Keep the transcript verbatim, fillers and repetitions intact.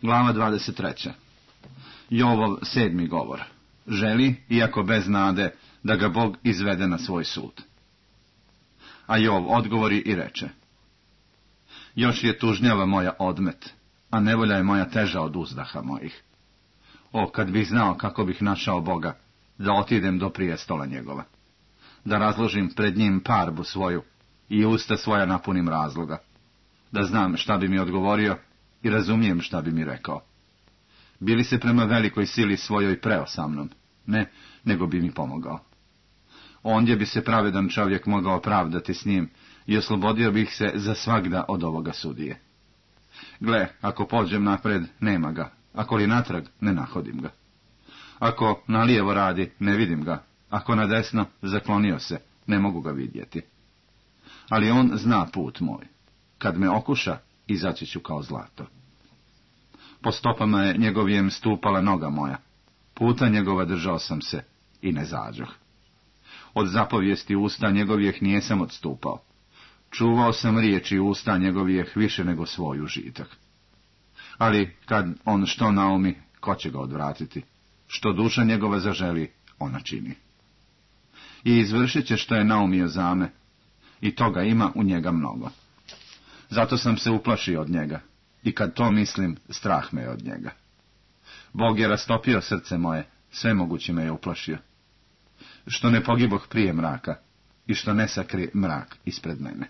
Glava dvadeset treća. Jovov sedmi govor. Želi, iako bez nade, da ga Bog izvede na svoj sud. A Jov odgovori i reče: Još je tužnjava moja odmet, a nevolja je moja teža od uzdaha mojih. O, kad bih znao kako bih našao Boga, da otidem do prijestola njegova, da razložim pred njim parbu svoju i usta svoja napunim razloga, da znam šta bi mi odgovorio i razumijem šta bi mi rekao. Bili se prema velikoj sili svojoj preo sa mnom, ne, nego bi mi pomogao. Ondje bi se pravedan čovjek mogao pravdati s njim i oslobodio bih se za svagda od ovoga sudije. Gle, ako pođem napred, nema ga, ako li natrag, ne nahodim ga. Ako nalijevo radi, ne vidim ga, ako na desno, zaklonio se, ne mogu ga vidjeti. Ali on zna put moj. Kad me okuša, izaći ću kao zlato. Po stopama je njegovijem stupala noga moja. Puta njegova držao sam se i ne zađoh. Od zapovijesti usta njegovijeh nijesam odstupao. Čuvao sam riječi usta njegovijeh više nego svoj užitak. Ali kad on što naumi, ko će ga odvratiti? Što duša njegova zaželi, ona čini. I izvršit će što je naumio zame, i toga ima u njega mnogo. Zato sam se uplašio od njega, i kad to mislim, strah me je od njega. Bog je rastopio srce moje, svemogući me je uplašio. Što ne pogiboh prije mraka, i što ne sakri mrak ispred mene.